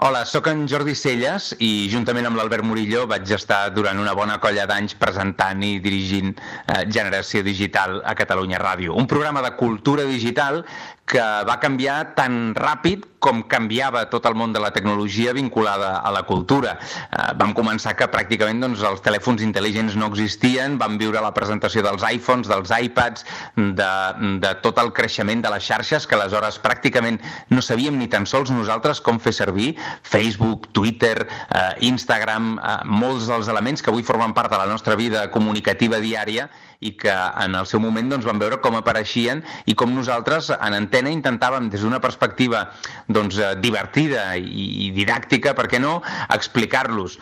Hola, sóc en Jordi Celles i juntament amb l'Albert Murillo vaig estar durant una bona colla d'anys presentant i dirigint Generació Digital a Catalunya Ràdio. Un programa de cultura digital que va canviar tan ràpid com canviava tot el món de la tecnologia vinculada a la cultura. Vam començar que pràcticament els telèfons intel·ligents no existien, vam viure la presentació dels iPhones, dels iPads, de tot el creixement de les xarxes, que aleshores pràcticament no sabíem ni tan sols nosaltres com fer servir, Facebook, Twitter, Instagram, molts dels elements que avui formen part de la nostra vida comunicativa diària i que en el seu moment vam veure com apareixien i com nosaltres en antena intentàvem des d'una perspectiva divertida i didàctica, per què no, explicar-los.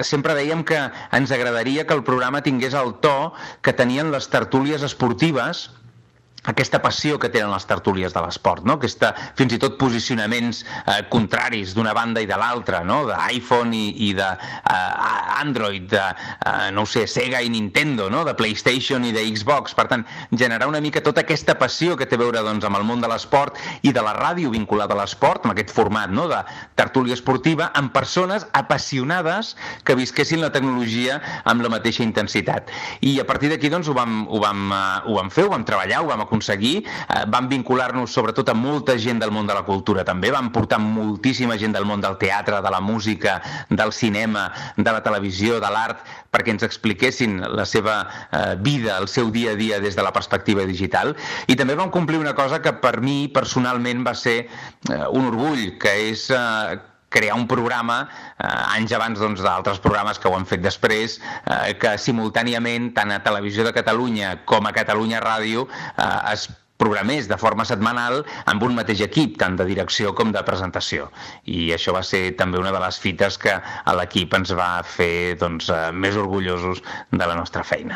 Sempre dèiem que ens agradaria que el programa tingués el to que tenien les tertúlies esportives, aquesta passió que tenen les tertúlies de l'esport, no? Fins i tot posicionaments contraris d'una banda i de l'altra, no? d'iPhone i d'Android, de Sega i Nintendo, no? de PlayStation i de Xbox. Per tant, generar una mica tota aquesta passió que té a veure amb el món de l'esport i de la ràdio vinculada a l'esport, amb aquest format de tertúlia esportiva, amb persones apassionades que visquessin la tecnologia amb la mateixa intensitat. I a partir d'aquí ho vam fer, ho vam treballar, ho vam aconseguir, vam vincular-nos sobretot a molta gent del món de la cultura també, vam portar moltíssima gent del món del teatre, de la música, del cinema, de la televisió, de l'art, perquè ens expliquessin la seva vida, el seu dia a dia des de la perspectiva digital. I també vam complir una cosa que per mi personalment va ser un orgull, que és crear un programa, anys abans d'altres programes que ho han fet després, que simultàniament, tant a Televisió de Catalunya com a Catalunya Ràdio, es programés de forma setmanal amb un mateix equip, tant de direcció com de presentació. I això va ser també una de les fites que a l'equip ens va fer més orgullosos de la nostra feina.